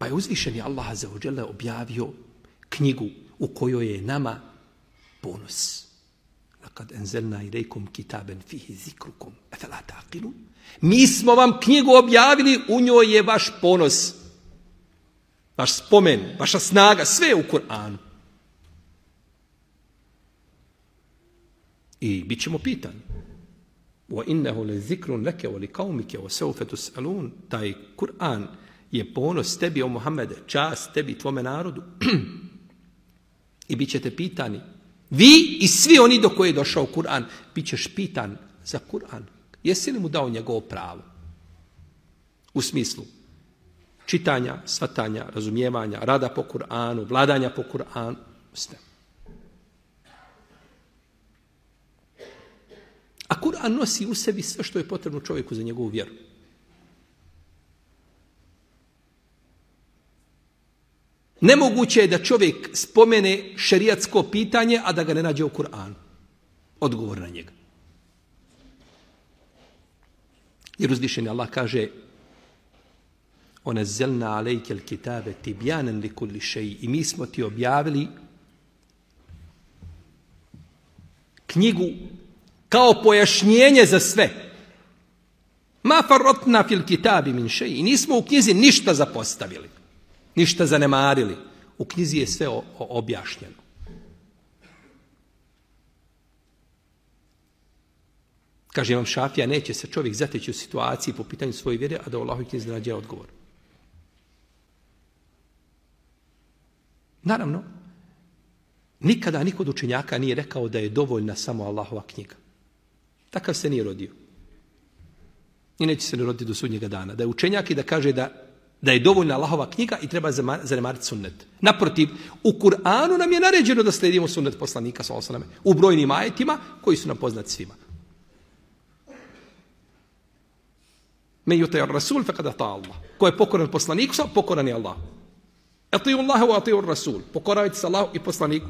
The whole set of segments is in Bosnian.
Pa je uzvišeni Allah azza wa dželle objavio knjigu u kojoj je nama ponos. Lakad enzelna ilejkum kitaben fihi zikrukum afala taqilun. Mi smo vam knjigu objavili, u njoj je vaš ponos, vaš spomen, vaša snaga, sve je u Kur'anu. I bit ćemo pitani. وَإِنَّهُ لَذِكْرٌ لَكَ وَلِقَوْمِكَ وَسَوْفَ تُسْأَلُونَ. Taj Kur'an je ponos tebi, o Muhammede, čast tebi, tvome narodu. I bit ćete pitani. Vi i svi oni do koje je došao Kur'an, bit ćeš pitan za Kur'an. Jesi li mu dao njegovo pravo? U smislu čitanja, shvatanja, razumijevanja, rada po Kur'anu, vladanja po Kur'anu. Sve. A Kur'an nosi u sebi sve što je potrebno čovjeku za njegovu vjeru. Nemoguće je da čovjek spomene šerijatsko pitanje, a da ga ne nađe u Kur'anu. Odgovor na njega. Jer uzvišeni Allah kaže وَنَزَّلْنَا عَلَيْكَ الْكِتَابَ تِبْيَانًا لِكُلِّ شَيْءٍ. I mi smo ti objavili knjigu kao pojašnjenje za sve. Ma farratna fil kitabi min shay. I nismo u knjizi ništa zapostavili, ništa zanemarili. U knjizi je sve objašnjeno. Kaže Imam Šafija, neće se čovjek zateći u situaciji po pitanju svoje vjere, a da u Allahovoj knjizi nađe odgovor. Naravno, nikada niko od učenjaka nije rekao da je dovoljna samo Allahova knjiga. Takav se nije rodio. I neće se ne roditi do sudnjega dana. Da je učenjak i da kaže da je dovoljna Allahova knjiga i treba zanemariti sunnet. Naprotiv, u Kur'anu nam je naređeno da slijedimo sunnet poslanika sallallahu alejhi ve sellem u brojnim ajetima koji su nam poznati svima. Men yuti ar-rasul faqad ata Allah. Ko je pokoran poslaniku, pokoran je Allah. Atiju Allah wa atiju ar-rasul. Pokoravajte se Allahu i poslaniku.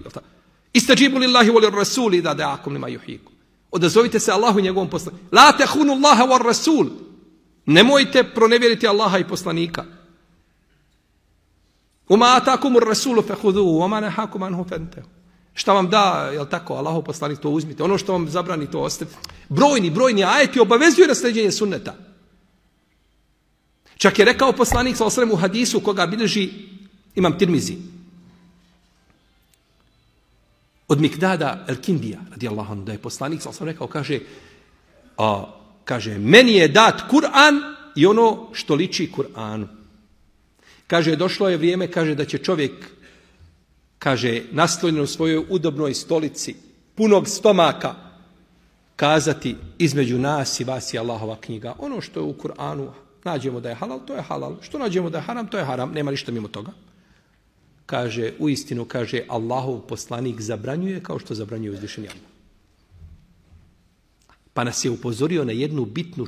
Istajibu lillahi wa lir-rasuli idha da'akum lima yuhyikum. Odazovite se Allahu i njegovom poslaniku. La tahunu Allaha wa ar-rasul. Nemojte pronevjeriti Allaha i poslanika. Uma atakum ar-rasulu fakhudhuhu wa ma nahakum anhu fantahu. Šta vam da, jel tako, Allahov poslanik, to uzmite. Ono što vam zabrani, to ostavite. Brojni ajeti obavezuju na sljeđenje sunneta. Čak je rekao poslanik sallallahu alejhi ve sellem u hadisu koga bilježi Imam Tirmizi od Mikdada el-Kindija radijallahu anhu, da je poslanik sallallahu alejhi ve sellem rekao, kaže, meni je dat Kur'an i ono što liči Kur'anu. Kaže, došlo je vrijeme, kaže, da će čovjek, kaže, naslonjen u svojoj udobnoj stolici, punog stomaka, kazati između nas i vas je Allahova knjiga. Ono što je u Kur'anu nađemo da je halal, to je halal. Što nađemo da je haram, to je haram. Nema ništa mimo toga. Kaže, u istinu, kaže, Allahov poslanik zabranjuje kao što zabranjuje uzvišeni Allah. Pa nas je upozorio na jednu bitnu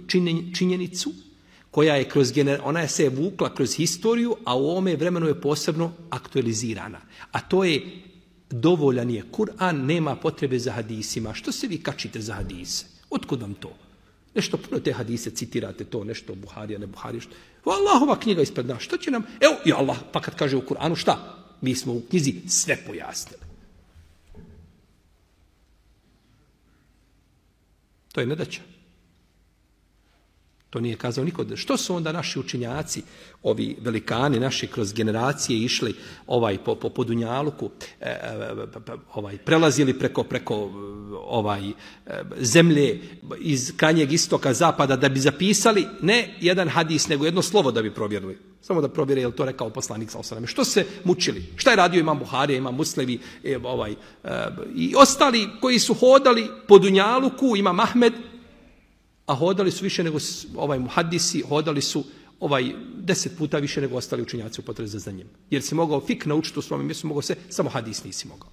činjenicu koja je ona se je vukla kroz historiju, a u ovome vremenu je posebno aktualizirana. A to je, dovoljan je Kur'an, nema potrebe za hadisima. Što se vi kačite za hadise? Otkud vam to? Nešto puno te hadise citirate, to nešto Buharija, ne Buharija. Allahova knjiga ispred nas. Što će nam? Evo, i Allah, pa kad kaže u Kur'anu šta? Mi smo u knjizi sve pojasnili. To je nedaća. To nije kazao niko. Što su onda naši učenjaci, ovi velikani naši kroz generacije išli po Dunjaluku, prelazili preko zemlje iz krajnjeg istoka, zapada, da bi zapisali ne jedan hadis, nego jedno slovo da bi provjerili. Samo da provjere je li to rekao poslanik sallallahu alejhi ve sellem. Što se mučili? Šta je radio Imam Buharija, Imam Muslim i ostali koji su hodali po Dunjaluku, Imam Ahmed, a hodali su više nego muhadisi, hodali su 10 puta više nego ostali učenjaci u potrazi za znanjem. Jer si mogao fik naučiti u svome mjestu, mogao se, samo hadis nisi mogao.